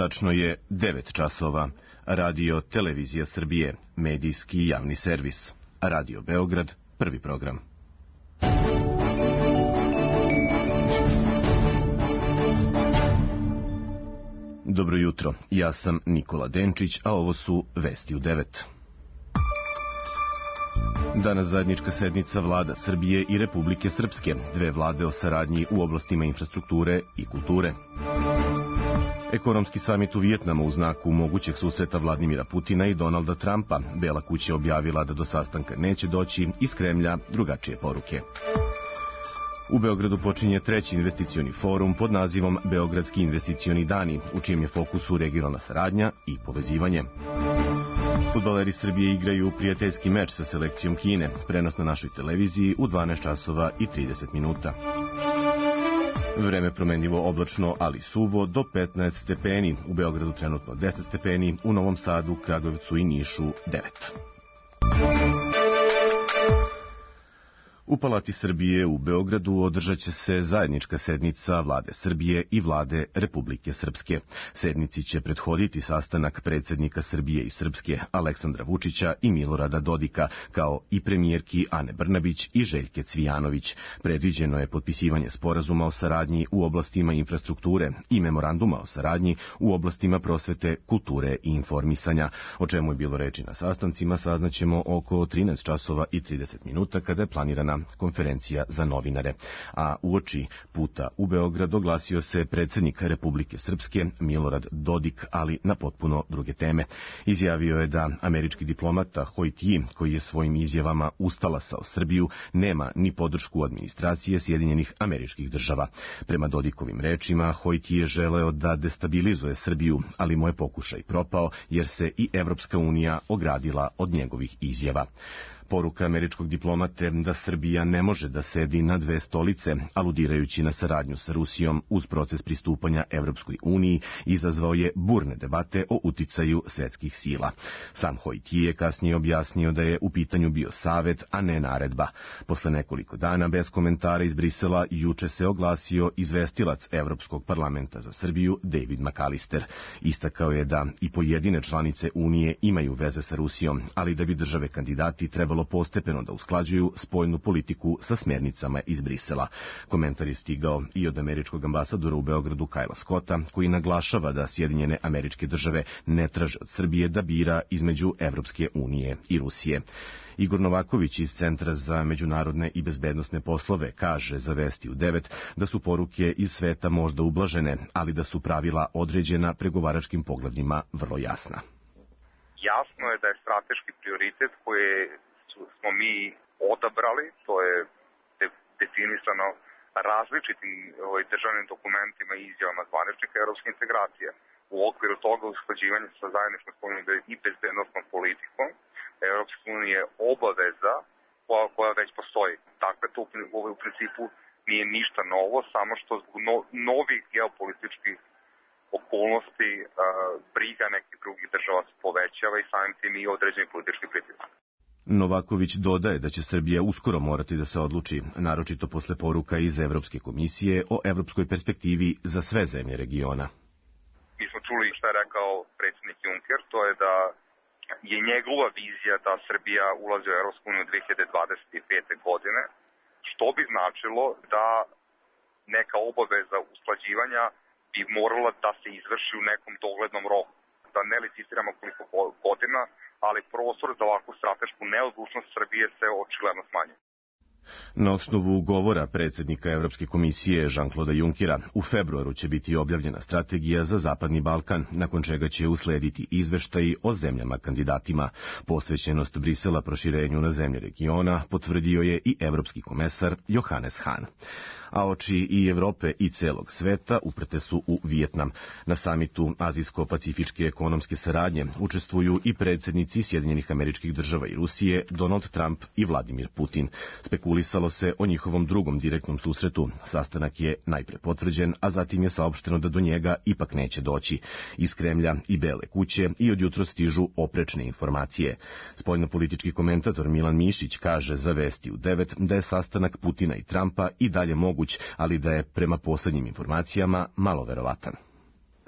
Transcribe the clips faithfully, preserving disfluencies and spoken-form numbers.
Tačno je devet časova. Radio Televizija Srbije, medijski javni servis. Radio Beograd, prvi program. Dobro jutro, ja sam Nikola Denčić, a ovo su Vesti u devet. Danas zajednička sednica vlada Srbije i Republike Srpske, dve vlade o saradnji u oblastima infrastrukture i kulture. Ekonomski samit u Vijetnamu u znaku mogućeg susreta Vladimira Putina i Donalda Trumpa. Bela kuća objavila da do sastanka neće doći, iz Kremlja drugačije poruke. U Beogradu počinje treći investicioni forum pod nazivom Beogradski investicioni dani, u čijem je fokusu regionalna saradnja i povezivanje. Fudbaleri Srbije igraju prijateljski meč sa selekcijom Kine, prenos na našoj televiziji u dvanaest časova i trideset minuta. Vreme promenljivo oblačno, ali suvo, do petnaest stepeni, u Beogradu trenutno deset stepeni, u Novom Sadu, Kragujevcu i Nišu devet. U Palati Srbije u Beogradu održat će se zajednička sednica vlade Srbije i vlade Republike Srpske. Sednici će prethoditi sastanak predsjednika Srbije i Srpske Aleksandra Vučića i Milorada Dodika, kao i premijerki Ane Brnabić i Željke Cvijanović. Predviđeno je potpisivanje sporazuma o saradnji u oblastima infrastrukture i memoranduma o saradnji u oblastima prosvete, kulture i informisanja. O čemu je bilo reči na sastancima saznaćemo oko trinaest časova i trideset minuta kada je planirana konferencija za novinare. A uoči puta u Beograd oglasio se predsjednik Republike Srpske Milorad Dodik, ali na potpuno druge teme. Izjavio je da američki diplomata Hojtiji, koji je svojim izjavama ustalasao Srbiju, nema ni podršku administracije Sjedinjenih Američkih Država. Prema Dodikovim rečima, Hojtiji je želeo da destabilizuje Srbiju, ali mu je pokušaj propao jer se i Evropska unija ogradila od njegovih izjava. Poruka američkog diplomate da Srbija ne može da sedi na dve stolice, aludirajući na saradnju sa Rusijom uz proces pristupanja Evropskoj uniji, izazvao je burne debate o uticaju svetskih sila. Sam Hojtiji je kasnije objasnio da je u pitanju bio savet, a ne naredba. Posle nekoliko dana bez komentara iz Brisela juče se oglasio izvestilac Evropskog parlamenta za Srbiju David McAllister. Istakao je da i pojedine članice Unije imaju veze sa Rusijom, ali da bi države kandidati trebalo postepeno da usklađuju spoljnu politiku sa smjernicama iz Brisela. Komentar je stigao i od američkog ambasadora u Beogradu Kajla Scotta, koji naglašava da Sjedinjene Američke Države ne traže od Srbije da bira između Evropske unije i Rusije. Igor Novaković iz Centra za međunarodne i bezbednosne poslove kaže za Vesti u devet da su poruke iz sveta možda ublažene, ali da su pravila određena pregovaračkim poglavljima vrlo jasna. Jasno je da je strateški prioritet koje smo mi odabrali, to je definisano različitim ovaj, državnim dokumentima i izjavama zvaničnika evropske integracije. U okviru toga usklađivanje sa zajedničkom spoljnom i bezbednosnom politikom Evropske unije je obaveza koja, koja već postoji. Dakle, to u principu nije ništa novo, samo što zbog no, novih geopolitičkih okolnosti a, briga nekih drugih država se povećava i samim tim i određeni politički pritisak. Novaković dodaje da će Srbija uskoro morati da se odluči, naročito posle poruka iz Evropske komisije o evropskoj perspektivi za sve zemlje regiona. Mi smo čuli šta je rekao predsjednik Juncker, to je da je njegova vizija da Srbija ulazi u Evropsku uniju dve hiljade dvadeset pete. godine, što bi značilo da neka obaveza usklađivanja bi morala da se izvrši u nekom doglednom roku. Da ne licitiramo koliko godina, ali prostor za ovakvu stratešku neodlučnost Srbije se očigledno smanjuje. Na osnovu govora predsjednika Evropske komisije Jean-Claude Junckera u februaru će biti objavljena strategija za Zapadni Balkan, nakon čega će uslediti izveštaji o zemljama kandidatima. Posvećenost Brisela proširenju na zemlje regiona potvrdio je i evropski komesar Johannes Hahn. A oči i Evrope i celog sveta uprte su u Vijetnam. Na samitu Azijsko-pacifičke ekonomske saradnje učestvuju i predsjednici Sjedinjenih Američkih Država i Rusije, Donald Trump i Vladimir Putin. Spekulisalo se o njihovom drugom direktnom susretu. Sastanak je najpre potvrđen, a zatim je saopšteno da do njega ipak neće doći. Iz Kremlja i Bele kuće i odjutro stižu oprečne informacije. Spoljnopolitički komentator Milan Mišić kaže za Vesti u devet da je sastanak Putina i Trumpa i dalje moguć, ali da je prema poslednjim informacijama malo verovatan.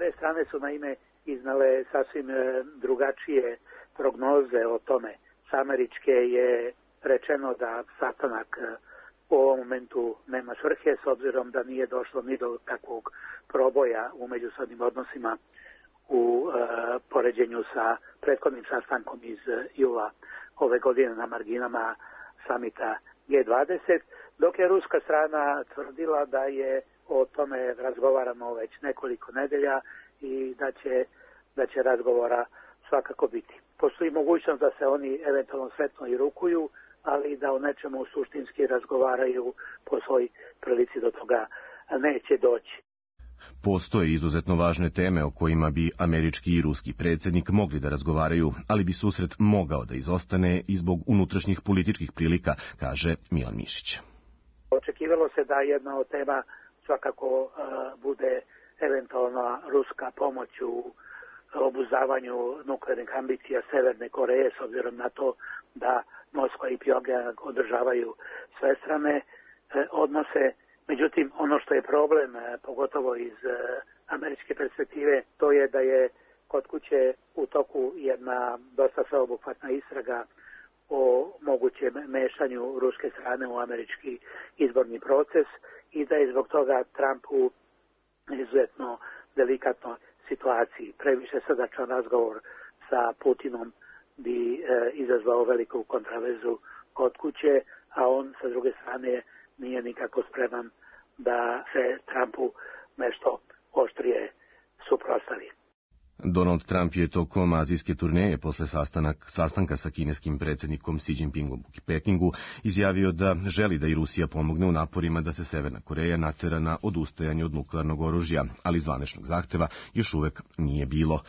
Sve strane su naime iznale sasvim drugačije prognoze o tome. S američke je rečeno da sastanak u ovom momentu nema svrhe, s obzirom da nije došlo ni do takvog proboja u međusobnim odnosima u e, poređenju sa prethodnim sastankom iz jula ove godine na marginama samita G dvadeset, dok je ruska strana tvrdila da je o tome razgovaramo već nekoliko nedelja i da će, da će razgovora svakako biti. Postoji mogućnost da se oni eventualno sretno i rukuju, ali da o nečemu suštinski razgovaraju po svoj prilici do toga neće doći. Postoje izuzetno važne teme o kojima bi američki i ruski predsjednik mogli da razgovaraju, ali bi susret mogao da izostane i zbog unutrašnjih političkih prilika, kaže Milan Mišić. Očekivalo se da jedna od tema svakako uh, bude eventualna ruska pomoć u obuzdavanju nuklearnih ambicija Severne Koreje, s obzirom na to da Moskva i Pjongjang održavaju svestrane uh, odnose. Međutim, ono što je problem, pogotovo iz američke perspektive, to je da je kod kuće u toku jedna dosta sveobuhvatna istraga o mogućem mešanju ruske strane u američki izborni proces i da je zbog toga Trump u izuzetno delikatnoj situaciji. Previše srdačan razgovor sa Putinom bi e, izazvao veliku kontraverzu kod kuće, a on sa druge strane nije nikako spreman da se Trumpu nešto oštrije suprotstavi. Donald Trump je tokom azijske turneje posle sastanak, sastanka sa kineskim predsjednikom Xi Jinpingom u Pekingu izjavio da želi da i Rusija pomogne u naporima da se Severna Koreja natera na odustajanje od nuklearnog oružja, ali zvaničnog zahteva još uvek nije bilo.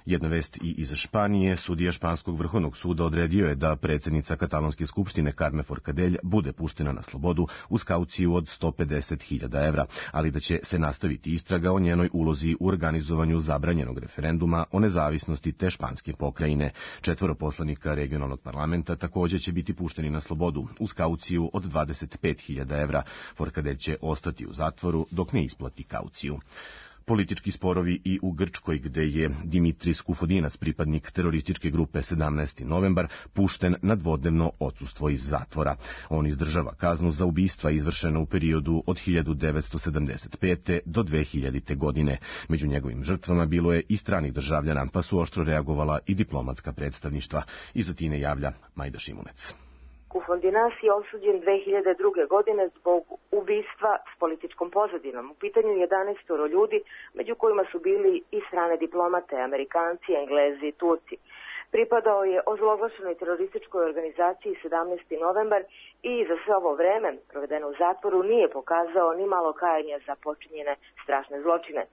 Jedna vest i iz Španije, sudija Španskog vrhovnog suda odredio je da predsjednica Katalonske skupštine Carme Forcadell bude puštena na slobodu uz kauciju od sto pedeset hiljada evra, ali da će se nastaviti istraga o njenoj ulozi u organizovanju zabranjenog referenduma o nezavisnosti te španske pokrajine. Četvoro poslanika regionalnog parlamenta također će biti pušteni na slobodu uz kauciju od dvadeset pet hiljada evra. Forcadell će ostati u zatvoru dok ne isplati kauciju. Politički sporovi i u Grčkoj, gde je Dimitris Kufodinas, pripadnik terorističke grupe sedamnaesti novembar, pušten na dvodnevno odsustvo iz zatvora. On izdržava kaznu za ubistva izvršena u periodu od hiljadu devetsto sedamdeset pete do dve hiljadite. godine. Među njegovim žrtvama bilo je i stranih državljana, pa su oštro reagovala i diplomatska predstavništva. Iz Atine javlja Majda Šimunec. Kufodinas je osuđen dve hiljade druge. godine zbog ubistva s političkom pozadinom. U pitanju jedanaest ljudi, među kojima su bili i strane diplomate, Amerikanci, Englezi i Turci. Pripadao je ozloglašenoj terorističkoj organizaciji sedamnaesti novembar i za sve ovo vreme provedeno u zatvoru nije pokazao ni malo kajanja za počinjene strašne zločine.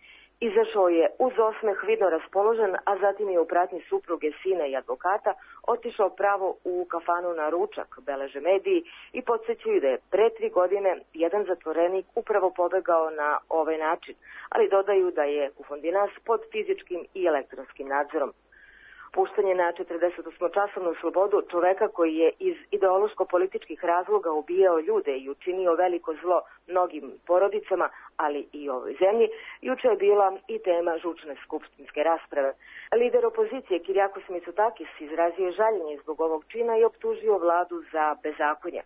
Izašao je uz osmeh, vidno raspoložen, a zatim je u pratnji supruge, sina i advokata otišao pravo u kafanu na ručak, beleže mediji, i podsjećaju da je pre tri godine jedan zatvorenik upravo pobegao na ovaj način, ali dodaju da je Kufodinas pod fizičkim i elektronskim nadzorom. Puštanje na četrdesetosmočasovnu slobodu čoveka koji je iz ideološko-političkih razloga ubijao ljude i učinio veliko zlo mnogim porodicama, ali i ovoj zemlji, juče je bila i tema žučne skupštinske rasprave. Lider opozicije Kyriakos Mitsotakis izrazio je žaljenje zbog ovog čina i optužio vladu za bezakonje.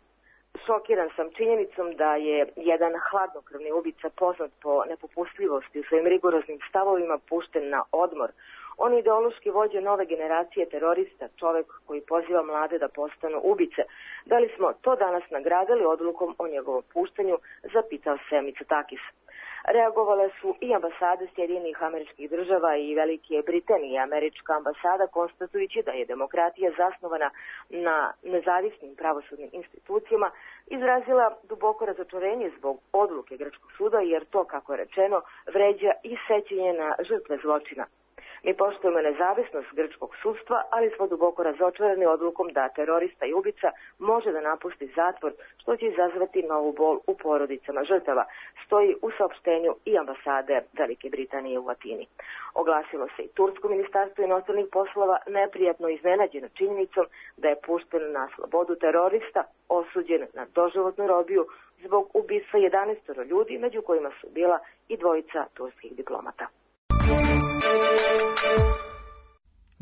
Šokiran sam činjenicom da je jedan hladnokrvni ubica poznat po nepopustljivosti u svojim rigoroznim stavovima pušten na odmor. On je ideološki vođa nove generacije terorista, čovek koji poziva mlade da postanu ubice. Da li smo to danas nagradili odlukom o njegovom puštanju, zapitao se Mitsotakis. Reagovale su i ambasade Sjedinjenih Američkih Država i Velike Britanije. Američka ambasada, konstatujući da je demokratija zasnovana na nezavisnim pravosudnim institucijama, izrazila duboko razočarenje zbog odluke grčkog suda, jer to, kako je rečeno, vređa i sećanje na žrtve zločina. Mi poštujemo nezavisnost grčkog sudstva, ali smo duboko razočarani odlukom da terorista i ubica može da napusti zatvor, što će izazvati novu bol u porodicama žrtava, stoji u saopštenju i ambasade Velike Britanije u Atini. Oglasilo se i Tursko ministarstvo inostranih poslova, neprijatno iznenađeno činjenicom da je pušten na slobodu terorista, osuđen na doživotnu robiju zbog ubistva jedanaest ljudi, među kojima su bila i dvojica turskih diplomata.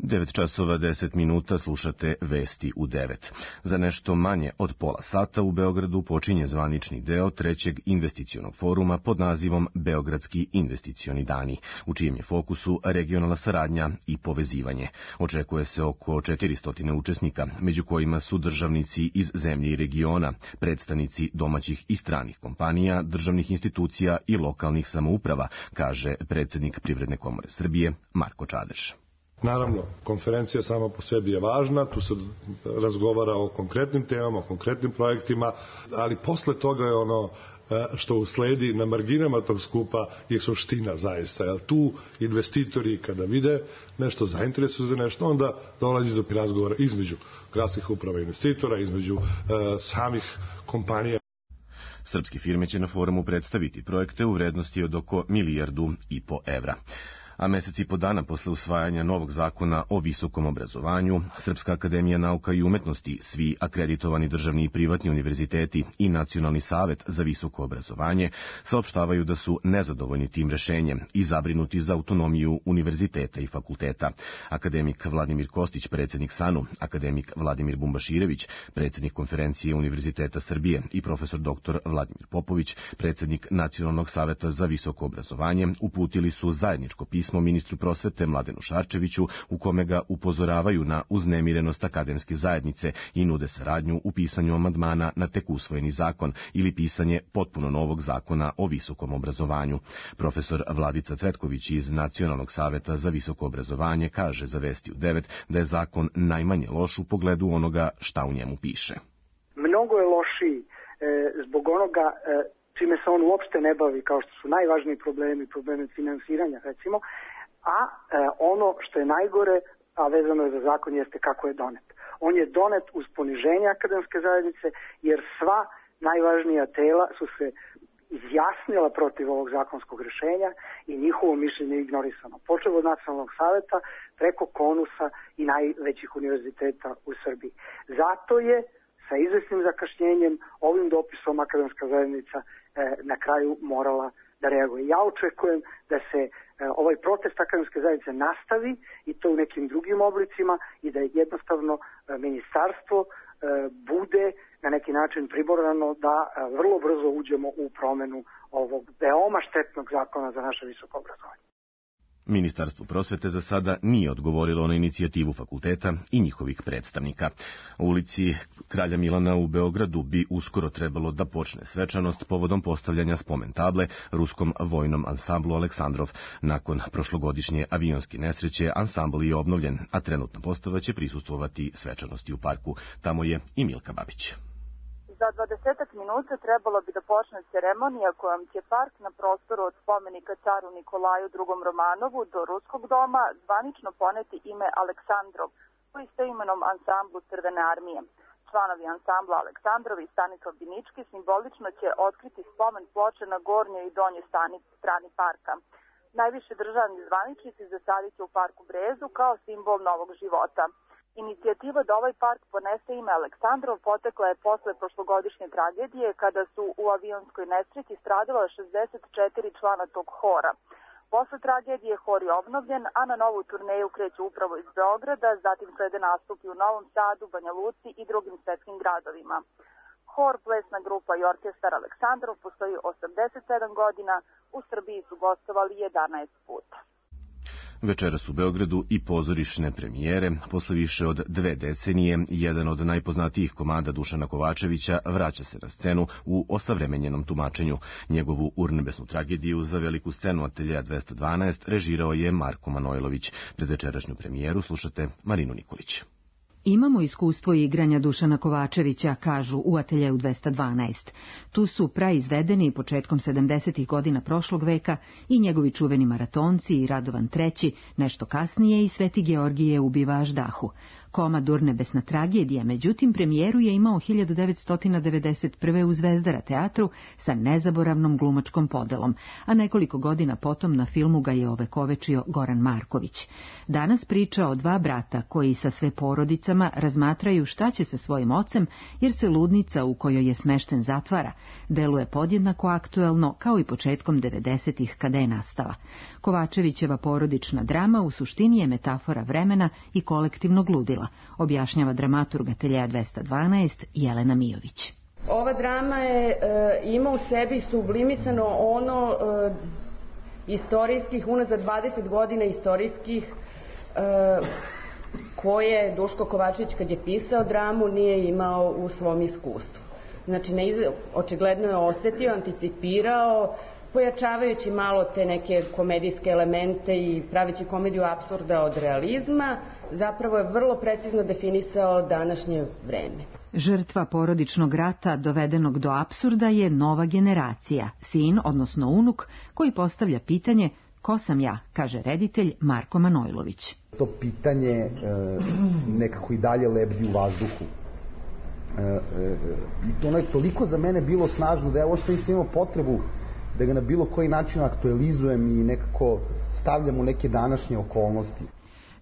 devet časova deset minuta, slušate Vesti u devet. Za nešto manje od pola sata u Beogradu počinje zvanični deo trećeg investicionog foruma pod nazivom Beogradski investicioni dani, u čijem je fokusu regionalna saradnja i povezivanje. Očekuje se oko četiristo učesnika, među kojima su državnici iz zemlje i regiona, predstavnici domaćih i stranih kompanija, državnih institucija i lokalnih samouprava, kaže predsjednik Privredne komore Srbije Marko Čadeš. Naravno, konferencija sama po sebi je važna, tu se razgovara o konkretnim temama, o konkretnim projektima, ali posle toga je ono što usledi na marginama tog skupa je suština zaista. Jer tu investitori kada vide nešto, zainteresuju za nešto, onda dolazi do razgovora između gradskih uprava investitora, između e, samih kompanija. Srpske firme će na forumu predstaviti projekte u vrednosti od oko milijardu i po evra. A mesec i po dana posle usvajanja novog zakona o visokom obrazovanju, Srpska akademija nauka i umetnosti, svi akreditovani državni i privatni univerziteti i Nacionalni savet za visoko obrazovanje saopštavaju da su nezadovoljni tim rešenjem i zabrinuti za autonomiju univerziteta i fakulteta. Akademik Vladimir Kostić, predsjednik SANU, akademik Vladimir Bumbaširević, predsjednik Konferencije Univerziteta Srbije i profesor doktor Vladimir Popović, predsjednik Nacionalnog saveta za visoko obrazovanje, uputili su zajedničko pismo pismo ministru prosvete Mladenu Šarčeviću u kome ga upozoravaju na uznemirenost akademske zajednice i nude saradnju u pisanju amandmana na tek usvojeni zakon ili pisanje potpuno novog zakona o visokom obrazovanju. Profesor Vladica Cvetković iz Nacionalnog saveta za visoko obrazovanje kaže za Vesti u devet da je zakon najmanje loš u pogledu onoga šta u njemu piše. Mnogo je lošiji e, zbog onoga e, čime se on uopšte ne bavi, kao što su najvažniji problemi, problemi finansiranja, recimo, a e, ono što je najgore, a vezano je za zakon, jeste kako je donet. On je donet uz poniženje akademske zajednice, jer sva najvažnija tela su se izjasnila protiv ovog zakonskog rešenja i njihovo mišljenje je ignorisano. Počev od Nacionalnog saveta, preko Konusa i najvećih univerziteta u Srbiji. Zato je sa izvesnim zakašnjenjem ovim dopisom akademska zajednica e, na kraju morala da reaguje. Ja očekujem da se e, ovaj protest akademske zajednice nastavi i to u nekim drugim oblicima i da jednostavno e, ministarstvo e, bude na neki način priborano da e, vrlo brzo uđemo u promenu ovog veoma štetnog zakona za naše visoko obrazovanje. Ministarstvo prosvete za sada nije odgovorilo na inicijativu fakulteta i njihovih predstavnika. U ulici Kralja Milana u Beogradu bi uskoro trebalo da počne svečanost povodom postavljanja spomen table ruskom vojnom ansamblu Aleksandrov. Nakon prošlogodišnje avionske nesreće ansambl je obnovljen, a trenutna postava će prisustvovati svečanosti u parku. Tamo je i Milka Babić. Za dvadesetak minuta trebalo bi da počne ceremonija kojom će park na prostoru od spomenika caru Nikolaju drugom Romanovu do Ruskog doma zvanično poneti ime Aleksandrov, po istoimenom ansamblu Crvene armije. Članovi ansambla Aleksandrov i Stanislav Binički simbolično će otkriti spomen ploče na gornjoj i donjoj strani parka. Najviše državni zvaničnici zasadit će u parku brezu kao simbol novog života. Inicijativa da ovaj park ponese ime Aleksandrov potekla je posle prošlogodišnje tragedije kada su u avionskoj nesreći stradala šezdeset četiri člana tog hora. Posle tragedije hor je obnovljen, a na novu turneju kreće upravo iz Beograda, zatim slede nastupi u Novom Sadu, Banja Luci i drugim svetskim gradovima. Hor, plesna grupa i orkestar Aleksandrov postoji osamdeset sedam godina, u Srbiji su gostovali jedanaest puta. Večeras u Beogradu i pozorišne premijere. Posle više od dve decenije, jedan od najpoznatijih komada Dušana Kovačevića vraća se na scenu u osavremenjenom tumačenju. Njegovu urnebesnu tragediju za veliku scenu Ateljeja dvesta dvanaest režirao je Marko Manojlović. Pred večerašnju premijeru slušate Marinu Nikolić. Imamo iskustvo igranja Dušana Kovačevića, kažu u Ateljeju dvesta dvanaest. Tu su praizvedeni početkom sedamdesetih godina prošlog veka i njegovi čuveni Maratonci i Radovan treći, nešto kasnije i Sveti Georgije ubiva Aždahu. Koma Durnebesna tragedija, međutim, premijeru je imao hiljadu devetsto devedeset prve u Zvezdara teatru sa nezaboravnom glumačkom podelom, a nekoliko godina potom na filmu ga je ovekovečio Goran Marković. Danas priča o dva brata koji sa sve porodicama razmatraju šta će sa svojim ocem, jer se ludnica u kojoj je smešten zatvara deluje podjednako aktuelno kao i početkom devedesetih kada je nastala. Kovačevićeva porodična drama u suštini je metafora vremena i kolektivnog ludila, objašnjava dramaturg Ateljea dvesta dvanaest Jelena Mijović. Ova drama je e, ima u sebi sublimisano ono e, istorijskih, unazad dvadeset godina istorijskih e, koje Duško Kovačević kad je pisao dramu nije imao u svom iskustvu. Znači, ne, očigledno je osetio, anticipirao, pojačavajući malo te neke komedijske elemente i praveći komediju apsurda od realizma, zapravo je vrlo precizno definisao današnje vreme. Žrtva porodičnog rata dovedenog do apsurda je nova generacija, sin, odnosno unuk, koji postavlja pitanje ko sam ja, kaže reditelj Marko Manojlović. To pitanje e, nekako i dalje lebdi u vazduhu. E, e, I ono je toliko za mene bilo snažno da ja uopšte nisam imao potrebu da ga na bilo koji način aktualizujem i nekako stavljam u neke današnje okolnosti.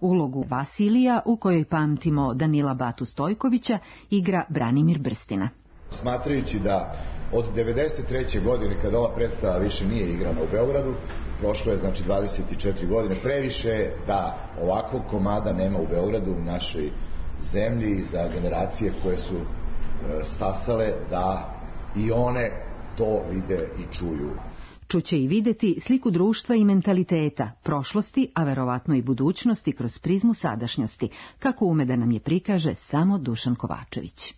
Ulogu Vasilija, u kojoj pamtimo Danila Batu Stojkovića, igra Branimir Brstina. Smatrajući da od devedeset treće godine, kada ova predstava više nije igrana u Beogradu, prošlo je znači dvadeset četiri godine, previše da ovakvog komada nema u Beogradu, u našoj zemlji, za generacije koje su e, stasale, da i one to vide i čuju. Čuće i videti sliku društva i mentaliteta, prošlosti, a verovatno i budućnosti kroz prizmu sadašnjosti, kako ume da nam je prikaže samo Dušan Kovačević.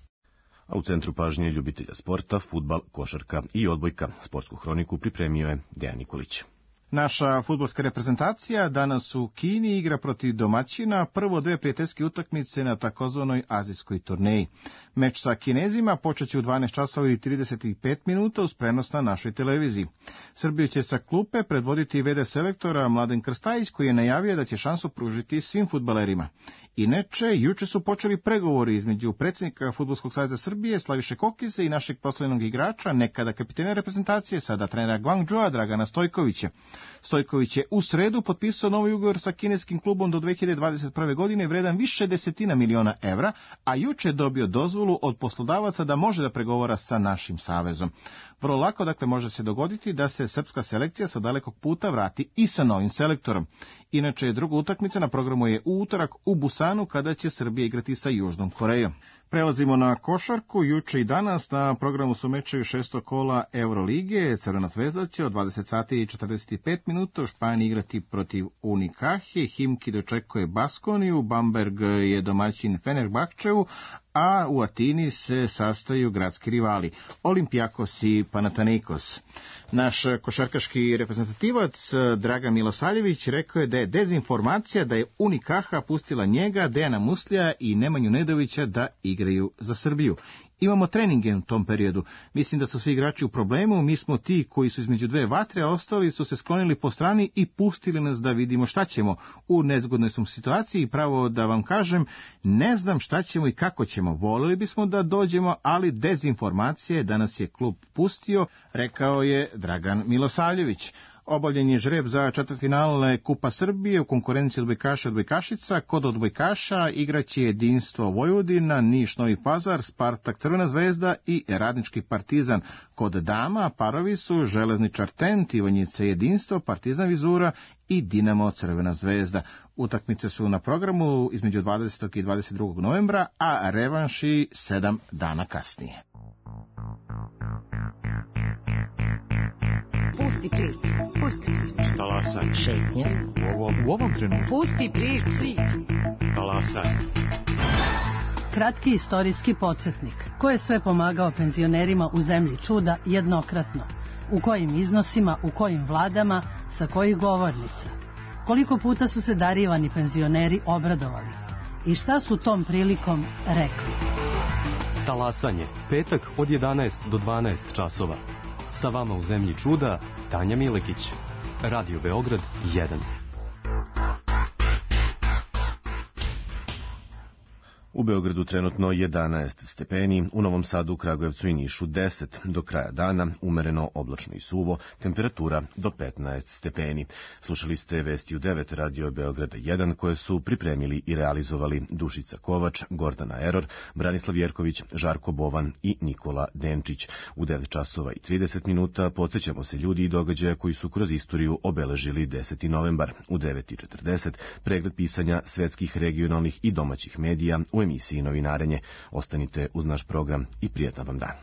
A u centru pažnje ljubitelja sporta, fudbal, košarka i odbojka. Sportsku hroniku pripremio je Dejan Nikolić. Naša fudbalska reprezentacija danas u Kini igra protiv domaćina prvo dve prijateljske utakmice na takozvanoj azijskoj turneji. Meč sa Kinezima počeće u dvanaest časova i trideset pet minuta uz prenos na našoj televiziji. Srbiju će sa klupe predvoditi ve de selektora Mladen Krstajić, koji je najavio da će šansu pružiti svim fudbalerima. Inače, juče su počeli pregovori između predsjednika Fudbalskog saveza Srbije Slaviše Kokise i našeg proslavljenog igrača, nekada kapitena reprezentacije, sada trenera Guangzhoua Dragana Stojkovića. Stojković je u sredu potpisao novi ugovor sa kineskim klubom do dve hiljade dvadeset prve. godine vredan više desetina miliona evra, a juče je dobio dozvolu od poslodavaca da može da pregovara sa našim savezom. Vrlo lako, dakle, može se dogoditi da se srpska selekcija sa dalekog puta vrati i sa novim selektorom. Inače, druga utakmica na programu je u utorak u Busanu, kada će Srbija igrati sa Južnom Korejom. Prelazimo na košarku. Juče i danas na programu su mečevi šestog kola Eurolige. Crvena zvezda će od dvadeset sati i četrdeset pet minuta u Španiji igrati protiv Unikahe. Himki dočekuje Baskoniju, Bamberg je domaćin Fenerbahčevu, a u Atini se sastaju gradski rivali Olimpijakos i Panathinaikos. Naš košarkaški reprezentativac Dragan Milosavljević rekao je da je dezinformacija da je Unikaha pustila njega, Dejana Muslija i Nemanju Nedovića da igraju za Srbiju. Imamo treninge u tom periodu. Mislim da su svi igrači u problemu, mi smo ti koji su između dve vatre, a ostali su se sklonili po strani i pustili nas da vidimo šta ćemo. U nezgodnoj smo situaciji i pravo da vam kažem, ne znam šta ćemo i kako ćemo. Voleli bismo da dođemo, ali dezinformacije da nas je klub pustio, rekao je Dragan Milosavljević. Obavljen je žreb za četvrtfinale Kupa Srbije u konkurenciji odbojkaša i odbojkašica. Kod odbojkaša igraće Jedinstvo Vojvodina, Niš Novi Pazar, Spartak Crvena zvezda i Radnički Partizan. Kod dama parovi su Železničar Tent, Ivanjica Jedinstvo, Partizan Vizura i Dinamo Crvena zvezda. Utakmice su na programu između dvadesetog i dvadeset drugog novembra, a revanši sedam dana kasnije. Pusti priču, pusti priču. Talasaj. Šetnja. U ovom, u ovom trenutku. Pusti priču. Talasaj. Kratki istorijski podsjetnik. Ko je sve pomagao penzionerima u zemlji čuda jednokratno? U kojim iznosima, u kojim vladama, sa kojih govornica? Koliko puta su se darivani penzioneri obradovali? I šta su tom prilikom rekli? Talasanje. Petak od jedanaest do dvanaest časova. Sa vama u zemlji čuda, Tanja Milekić. Radio Beograd jedan. U Beogradu trenutno jedanaest stepeni, u Novom Sadu, Kragujevcu i Nišu deset. Do kraja dana umereno oblačno i suvo, temperatura do petnaest stepeni. Slušali ste vesti u devet Radio Beograda jedan koje su pripremili i realizovali Dušica Kovač, Gordana Eror, Branislav Jerković, Žarko Bovan i Nikola Denčić. U devet časova i trideset minuta podsjećamo se ljudi i događaja koji su kroz istoriju obeležili deseti novembar. U devet i četrdeset pregled pisanja svetskih, regionalnih i domaćih medija u emisiji Novinarenje. Ostanite uz naš program i prijatan vam dan.